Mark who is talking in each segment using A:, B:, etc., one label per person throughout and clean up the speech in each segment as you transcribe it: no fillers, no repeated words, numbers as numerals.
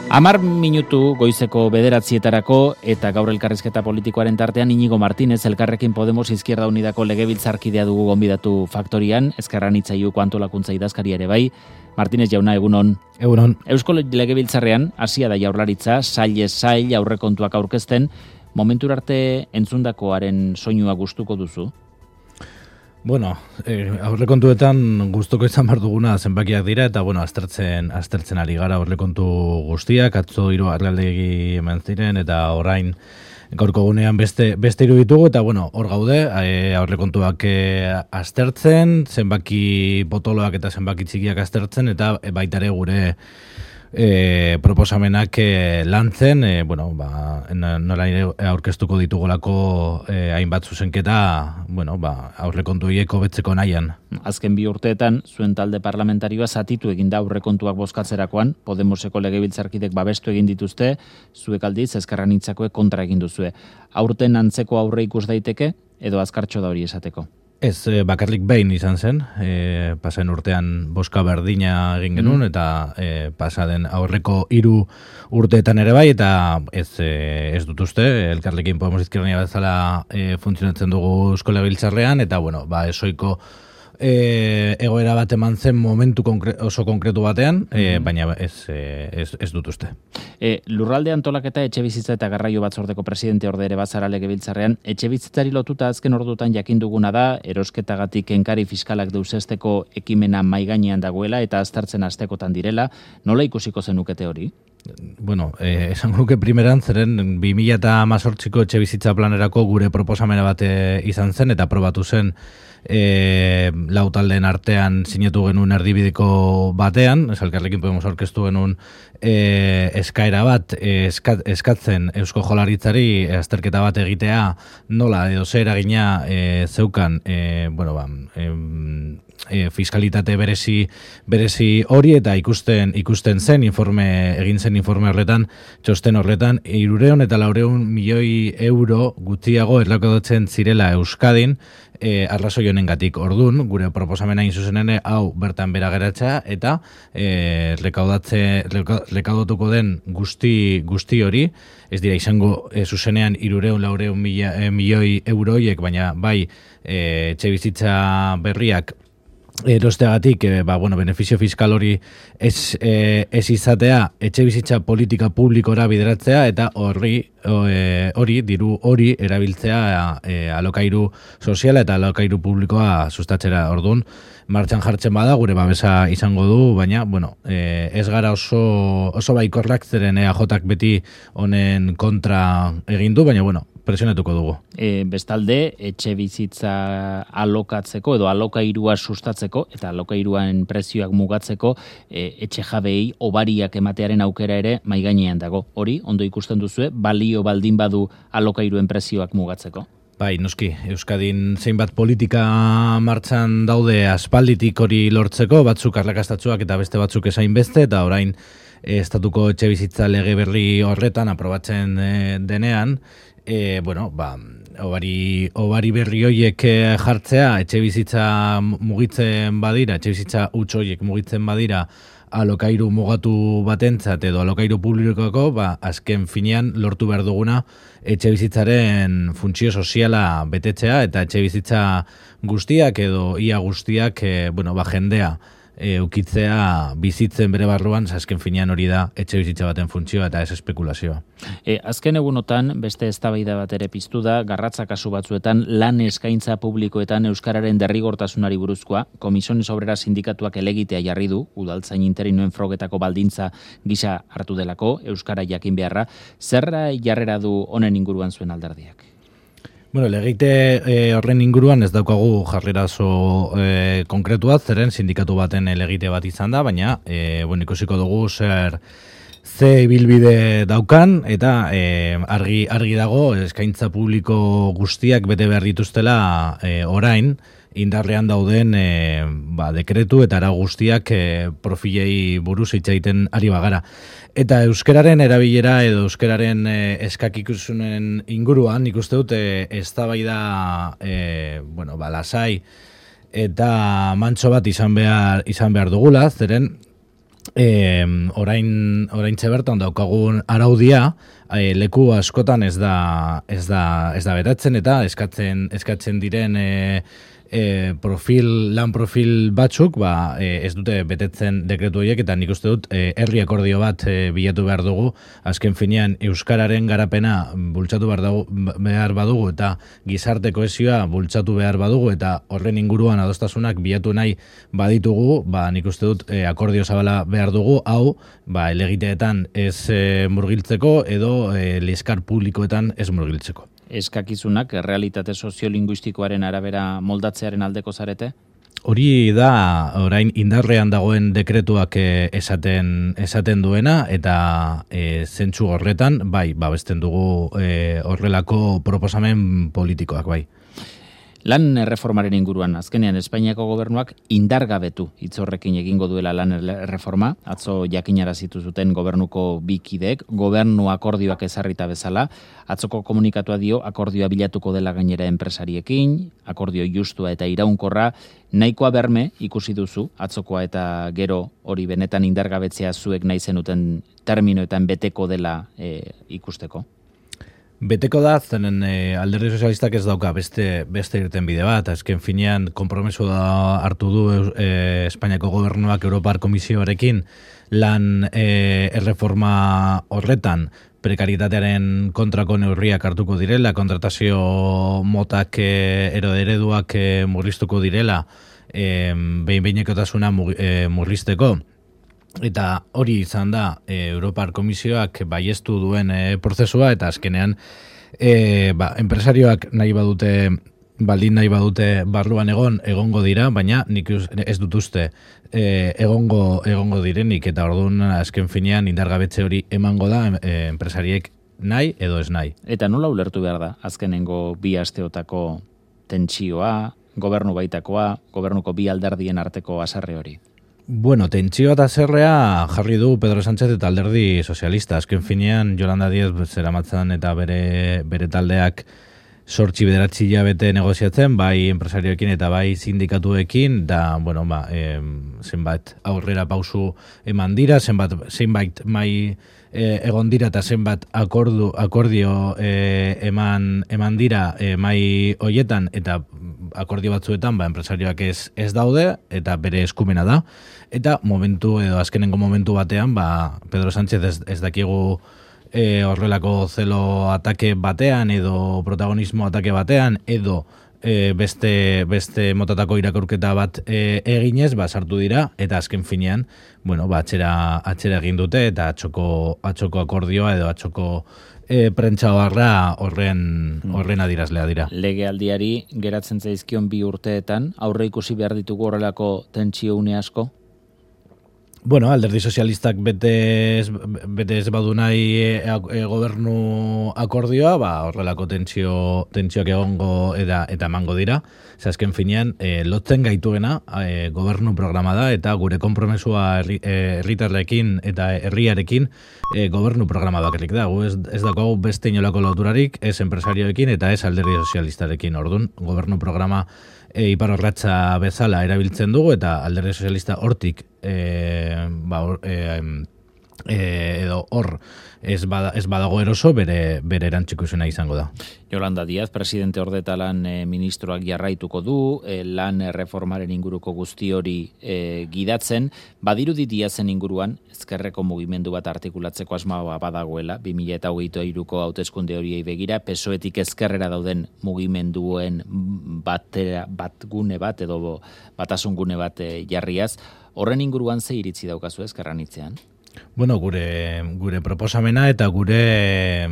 A: 10 minutu goizeko 9:00 eta gaur elkarrizketa politikoaren tartean Iñigo Martínez, Elkarrekin Podemos Izquierda Unidako legebiltzarkidea dugu gonbidatu Faktorian, Ezkerra Anitzaiuko antolakuntza idazkaria ere bai. Martínez jauna, egunon.
B: Egunon.
A: Eusko Legebiltzarrean hasia da Jaurlaritza, sail aurrekontuak aurkezten, momentura arte entzundakoaren soinua gustuko duzu?
B: Bueno, aurrekontuetan gustuko izan behar duguna zenbakiak dira, eta aztertzen ari gara aurrekontu guztiak, atzo 3 agerraldi eman ziren, eta orain gaurko gunean beste hiru ditugu, eta hor gaude, aurrekontuak aztertzen, zenbaki potoloak eta zenbaki txikiak aztertzen, eta baita ere gure proposamenak lantzen, nola aurkeztuko ditugolako hainbat zuzenketa, aurrekontu hiek hobetzeko nahian.
A: Azken 2 urteetan, zuen talde parlamentarioa zatitu egin da aurrekontuak bozkatzerakoan, Podemoseko legebiltzarkidek babestu egin dituzte, zuek aldiz Ezkerra Anitzakoek kontra egin duzue. Aurten antzeko aurre ikus daiteke, edo azkartxo da hori esateko?
B: Ez, bakarrik behin izan zen, pasen urtean bozka berdina egin genuen, eta pasaden aurreko 3 urteetan ere bai, eta ez dut uste, Elkarrekin Podemos Izquierda Unida bezala funtzionatzen dugu Eusko Legebiltzarrean, eta esoiko egoera bat eman zen momentu oso konkretu batean, baina ez dut uste.
A: Lurralde antolaketa etxebizitza eta garraio batzordeko presidente orde ere bazara Legebiltzarrean, etxebizitzari lotuta azken ordutan jakin duguna da, erosketagatik kenkari fiskalak deusesteko ekimena mahai gainean dagoela eta aztertzen astekotan direla, nola ikusiko zenukete hori?
B: Esan nuke primeran, zeren 2018ko etxebizitza planerako gure proposamena bat izan zen, eta aprobatu zen lau taldeen artean sinatu genuen erdibideko batean, Elkarrekin Podemos aurkeztu genuen eskaera bat eskatzen Eusko Jaurlaritzari azterketa bat egitea nola edo zer eragina zeukan fiskalitate berezi hori, eta ikusten zen egin zen informe horretan, txosten horretan 300 eta 400 milioi euro gutxiago errekaudatzen zirela Euskadin arrazoi honengatik. Ordun, gure proposamena hain zuzenene hau bertan bera geratzea, eta rekaudatuko den guzti hori, ez dira izango zuzenean 300-400 milioi euroiek, baina bai etxebizitza berriak erosteagatik, benefizio fiskal hori ez izatea, etxebizitza politika publikora bideratzea, eta diru hori erabiltzea alokairu soziala eta alokairu publikoa sustatzera. Orduan, martxan jartzen bada, gure babesa izango du, baina, ez gara oso baikorrak, zeren EAJak beti honen kontra egin du, baina, presionatuko dugu.
A: Bestalde, etxe bizitza alokatzeko edo alokairua sustatzeko eta alokairuan prezioak mugatzeko etxe jabei obariak ematearen aukera ere mahai gainean dago. Hori, ondo ikusten duzue, balio baldin badu alokairuen prezioak mugatzeko?
B: Bai, noski, Euskadin zeinbat politika martxan daude aspalditik hori lortzeko, batzuk arrakastatsuak eta beste batzuk esain beste, eta orain estatuko etxe bizitza lege berri horretan aprobatzen denean, obari berri horiek jartzea, etxe bizitza mugitzen badira, etxe bizitza huts horiek mugitzen badira alokairu mugatu batentzat edo alokairu publikoko, azken finean lortu behar duguna etxe bizitzaren funtzio soziala betetzea, eta etxe bizitza guztiak edo ia guztiak jendea ukitzea bizitzen bere barruan, azken finean hori da etxe bizitza baten funtzioa eta ez espekulazioa.
A: Azken egunotan, beste eztabaida bat ere piztu da, garratza kasu batzuetan lan eskaintza publikoetan euskararen derrigortasunari buruzkoa, Comisiones Obreras sindikatuak elegitea jarri du, udaltzain interinoen frogetako baldintza gisa hartu delako, euskara jakin beharra, zerra jarrera du honen inguruan zuen alderdiak?
B: Legite horren inguruan ez daukagu jarrera oso konkretua, zeren sindikatu baten legite bat izan da, baina ikusiko dugu ze ibilbide daukan, eta argi dago eskaintza publiko guztiak bete behar dituztela orain, indarrean dauden dekretu eta arau guztiak profilei buruz hitz egiten ari bagara. Eta euskararen erabilera edo euskararen eskakikusunen inguruan, nik uste dut eztabaida lasai eta mantso bat izan behar dugula, zeren oraintxe bertan daukagun araudia leku askotan ez da betatzen eta eskatzen diren lan profil batzuk ez dute betetzen dekretu horiek, eta nik uste dut herri akordio bat bilatu behar dugu, azken finean euskararen garapena bultzatu behar badugu eta gizarte kohesioa bultzatu behar badugu eta horren inguruan adostasunak bilatu nahi baditugu, nik uste dut akordio zabala behar dugu, hau helegiteetan ez murgiltzeko edo liskar publikoetan ez murgiltzeko.
A: Eskakizunak realitate soziolinguistikoaren arabera moldatzearen aldeko zarete?
B: Hori da orain indarrean dagoen dekretuak esaten duena, eta zentzu horretan babesten dugu horrelako proposamen politikoak bai.
A: Lan erreformaren inguruan, azkenean Espainiako gobernuak indargabetu hitz horrekin egingo duela lan erreforma, atzo jakinarazitu zuten gobernuko bi kideek, gobernu akordioak ezarrita bezala, atzoko komunikatua dio akordioa bilatuko dela gainera enpresariekin, akordio justua eta iraunkorra, nahikoa berme ikusi duzu, atzokoa eta gero hori benetan indargabetzea zuek nahi zenuten terminoetan beteko dela ikusteko?
B: Beteko da, zenen alderdi sozialistak ez dauka beste irten bide bat, azken finean konpromeso da hartu du Espainiako gobernuak Europar Komisioarekin lan erreforma horretan prekaritatearen kontrako neurriak hartuko direla, kontratazio motak ereduak murriztuko direla, behin-behinekotasuna murrizteko. Eta hori izan da Europar Komisioak baiestu duen prozesua, eta azkenean enpresarioak nahi badute barruan egongo dira, baina nik ez dut uste egongo direnik, eta orduan azken finean indargabetze hori emango da enpresariek nahi edo ez nahi.
A: Eta nola ulertu behar da azkenengo bi asteotako tentsioa, gobernu baitakoa, gobernuko bi alderdien arteko haserre hori?
B: Bueno, tentsioa eta zerrea jarri du Pedro Sánchez eta alderdi sozialista. Azken finean, Yolanda Díez zeramatzan eta bere taldeak 8-9 hilabete negoziatzen, bai enpresarioekin eta bai sindikatuekin, da, zenbat aurrera pausu eman dira, zenbait mai egon dira eta zenbat akordio eman dira mai hoietan, eta akordio batzuetan enpresarioak ez daude eta bere eskumena da, eta azkenengo momentu batean Pedro Sánchez ez dakigu horrelako zelo atake batean edo protagonismo atake batean edo beste motatako irakurketa bat eginez, sartu dira, eta azken finean, atxera egin dute, eta atxoko akordioa edo atxoko prentsa horren adirazlea dira.
A: Legealdiari geratzen zaizkion 2 urteetan, aurre ikusi behar ditugu horrelako tentsio une asko?
B: Alderdi sozialistak bete ez badu nahi gobernu akordioa, horrelako tentsioak egongo eta emango dira. Azken finean, lotzen gaituena gobernu programa da, eta gure konpromesua herritarrekin eta herriarekin gobernu programa bakarrik da. Ez dago beste inolako loturarik, ez enpresarioekin eta ez alderdi sozialistarekin. Orduan, gobernu programa iparorratza bezala erabiltzen dugu, eta alderdi sozialista hortik edo hor ez badago eroso bere erantzukizuna izango da.
A: Yolanda Díaz, presidente ordeta lan ministroak jarraituko du, lan reformaren inguruko guzti hori gidatzen, badirudi Díazen inguruan, ezkerreko mugimendu bat artikulatzeko asmoa badagoela, 2023ko hauteskunde horiei begira, PSOEtik ezkerrera dauden mugimenduen batgune bat edo batasungune bat jarriaz, horren inguruan ze iritzi daukazu ezkerran hitzean?
B: Gure proposamena eta gure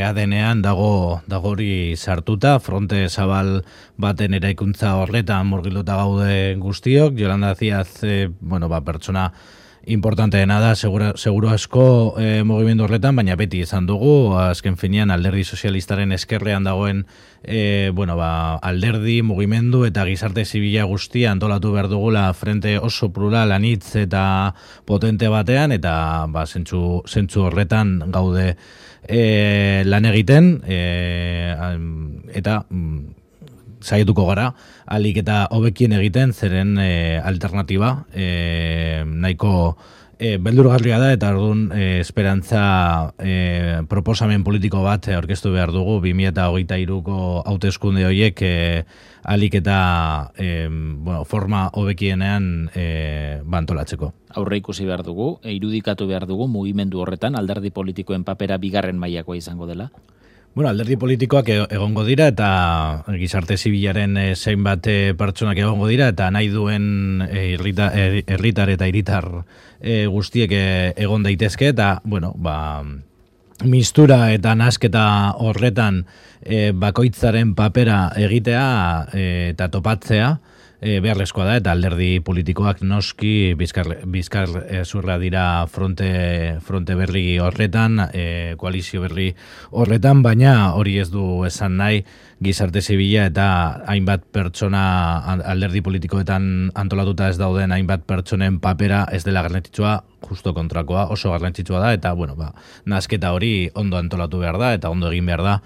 B: ADN-ean dago hori sartuta, fronte zabal baten eraikuntza horretan murgilduta gaude guztiok. Yolanda Díaz, pertsona importanteena da, seguro asko mugimendu horretan, baina beti izan dugu, azken finean alderdi sozialistaren eskerrean dagoen alderdi, mugimendu eta gizarte zibila guztia antolatu behar dugula frente oso plural, anitz eta potente batean, eta zentzu horretan gaude lan egiten, eta saietuko gara, alik eta hobekien egiten, zeren alternatiba nahiko beldurgarria da, eta orduan esperantza proposamen politiko bat aurkeztu behar dugu 2023ko hauteskunde horiek alik eta forma hobekienean bantolatzeko.
A: Aurre ikusi behar dugu, irudikatu behar dugu mugimendu horretan alderdi politikoen papera bigarren mailakoa izango dela?
B: Bueno, alderdi politikoak egongo dira eta gizarte zibilaren zeinbat pertsonak egongo dira eta nahi duen herritar eta hiritar guztiek egon daitezke eta, bueno, mistura eta nasketa horretan bakoitzaren papera egitea eta topatzea beharrezkoa da, eta alderdi politikoak noski bizkar zurra dira fronte berri horretan, koalizio berri horretan, baina hori ez du esan nahi gizarte zibila eta hainbat pertsona alderdi politikoetan antolatuta ez dauden hainbat pertsonen papera ez dela garrantzitsua, justo kontrakoa, oso garrantzitsua da, eta nasketa hori ondo antolatu behar da, eta ondo egin behar da,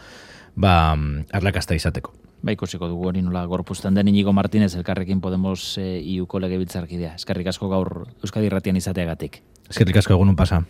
B: arrakasta izateko.
A: Ikusiko dugu hori nola gorpuzten den. Inigo Martínez, Elkarrekin Podemos iuko legebiltzarkidea. Eskerrik asko gaur Euskadi Irratian izateagatik.
B: Eskerrik asko, egunun pasa.